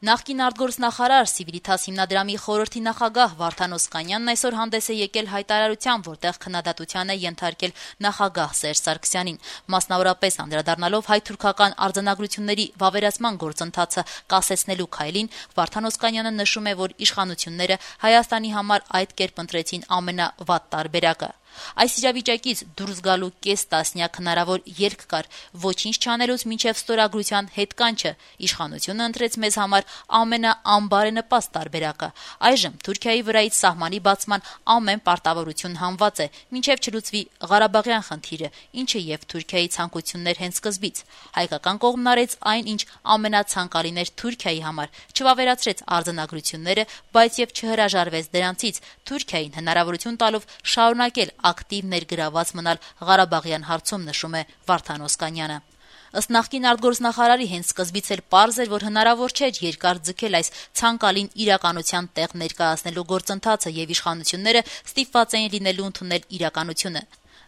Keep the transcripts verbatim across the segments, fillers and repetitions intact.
Նախկին արտգործնախարար Civitas հիմնադրամի խորհրդի նախագահ Վարդան Օսկանյանն այսօր հանդես է եկել հայտարարությամբ, որտեղ քննադատության է ենթարկել նախագահ Սերժ Սարգսյանին, մասնավորապես անդրադառնալով հայ-թուրքական արձանագրությունների վավերացման գործընթացը կասեցնելու քայլին, Վարդան Օսկանյանը նշում է, որ իշխանությունները Հայաստանի համար այդ կերպ ընտրեցին ամենավատ տարբերակը։ Այս իրավիճակից դուրս գալու կես տասնյակ հնարավոր ելք կար, ոչինչ չանելուց մինչև ստորագրության հետկանչը, իշխանությունը ընտրեց մեզ համար ամենաանբարենպաստ տարբերակը։ Այժմ Թուրքիայի վրայից սահմանի բացման ամեն պարտավորություն հանված է, մինչև չլուծվի Ղարաբաղյան խնդիրը, ինչը եւ Թուրքիայի ցանկություններ հենց սկզբից։ Հայկական կողմն արեց այն, ինչ ամենացանկալին էր Թուրքիայի համար, չվավերացրեց արձանագրությունները, բայց եւ չհրաժարվեց դրանցից, Թուրքիային հնարավորություն տալով շարունակել ակտիվ ներգրաված մնալ Ղարաբաղյան հարցում, նշում է Վարդան Օսկանյանը։ Ըստ նախկին արտգործնախարարի հենց սկզբից էլ պարզ էր, որ հնարավոր չէր երկար ձգել այս ցանկալին իրականության տեղ ներկայացնելու գործընթացը եւ իշխանությունները ստիպված էին լինելու ընդունել իրականությունը։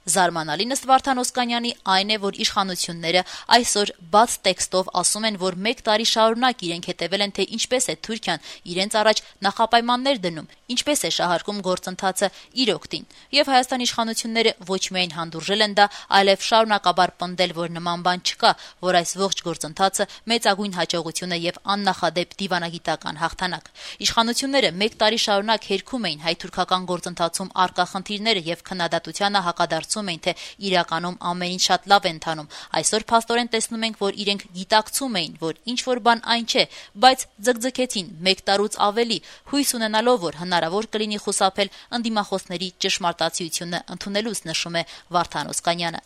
Զարմանալին ըստ Վարդան Օսկանյանի այն է, որ իշխանությունները այսօր բաց տեքստով ասում են, որ մեկ տարի շարունակ իրենք հետևել են, թե ինչպես է Թուրքիան իրենց առաջ նախապայմաններ դնում, ինչպես է շահարկում գործընթացը իր օգտին, եւ Հայաստանի իշխանությունները ոչ միայն հանդուրժել են դա, այլև շարունակաբար պնդել, որ նման բան չկա, որ այս ողջ գործընթացը մեծագույն հաջողություն է եւ աննախադեպ դիվանագիտական հաղթանակ։ Իշխանությունները մեկ տարի շարունակ հերքում էին հայ-թուրքական գործընթացում առկա խնդիրները եւ քննադատությանը հակադարձում էին, թե իրականում ամեն ինչ շատ լավ է ընթանում։ Այսօր փաստորեն տեսնում ենք, որ իրենք գիտակցում էին, որ ինչ որ բան այն չէ, բայց ձգձգեցին մեկ տարուց ավելի, հույս ունենալով, որ հնարավոր կլինի խուսափել ընդդիմախոսների ճշմարտացիությունը ընդունելուց, նշում է Վարդան Օսկանյանը։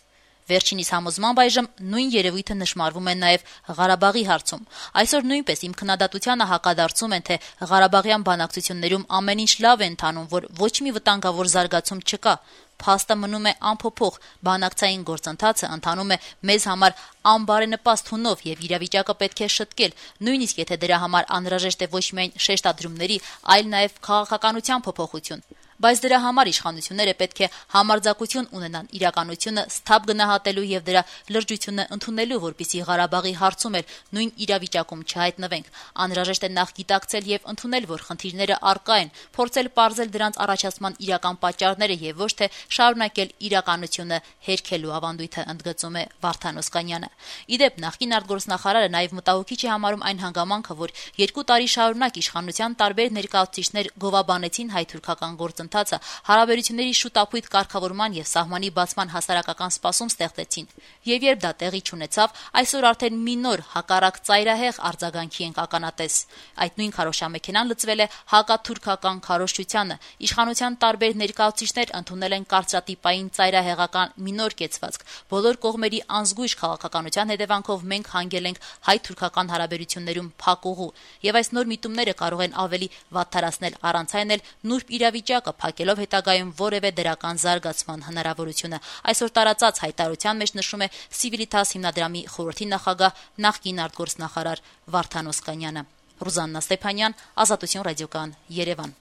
Վերջինիս համոզմամբ այժմ նույն երևույթը նշмарվում է նաև Ղարաբաղի հարցում։ Այսօր նույնպես իմ քննադատությանը հակադարձում են, թե Ղարաբաղյան բանակցություններում ամեն ինչ լավ է ընթանում, որ ոչ մի վտանգավոր զարգացում չկա։ Փաստը մնում է անփոփոխ, բանակցային գործընթացը ընթանում է մեզ համար անբարենպաստ հունով եւ իրավիճակը պետք է շտկել, նույնիսկ եթե դրա համար անհրաժեշտ է ոչ միայն շեշտադրումների, այլ նաեւ քաղաքականության փոփոխություն։ Բայց դրա համար իշխանությունները պետք է համարձակություն ունենան իրականությունը սթափ գնահատելու եւ դրա լրջությունը ընդունելու, որպեսզի Ղարաբաղի հարցում էլ նույն իրավիճակում չհայտնվենք։ Անհրաժեշտ է նախ գիտակցել եւ ընդունել, որ խնդիրները առկա են, փորձել պարզել դրանց առաջացման իրական պատճառները եւ ոչ թե շարունակել իրականությունը հերքելու ավանդույթը, ընդգծում է Վարդան Օսկանյանը։ Իդեպ նախկին արտգործնախարարը նաեւ մտահոգիչ է համարում այն հանգամանքը, որ երկու տարի շարունակ իշխանության տարբեր ներկայացուցիչներ գովաբանեցին հայ-թուրքական գործընթացը, հարաբերությունների շուտապույտ կարգավորման եւ սահմանի բացման հասարակական սպասում ստեղծեցին։ Եվ երբ դա տեղի չունեցավ, այսօր արդեն մի նոր հակառակ ծայրահեղ արձագանքի ենք ականատես։ Այդ նույն քարոշչամեքենան լծվել է հակաթուրքական քարոզչությանը։ Իշխանության տարբեր ներկայացուցիչներ ընդունել են կարծրատիպային ծայրահեղական մի նոր կեցվածք։ Բոլոր կողմերի անզգույշ քաղաքականության հետևանքով մենք հանգել ենք հայ-թուրքական հարաբերություններում փակուղու, եւ այս նոր միտումները կարող են ավելի վատթարացնել առանց այն էլ նուրբ իրավիճակը, փակելով հետագայում որևէ դրական զարգացման հնարավորությունը։ Այսօր տարածած հայտարարության մեջ նշում է Civitas հիմնադրամի խորհրդի նախագահ, նախկին արտգործնախարար Վարդան Օսկանյանը։ Ռուզաննա Ստեփանյան, Ազատություն ռադիոկան, Երևան։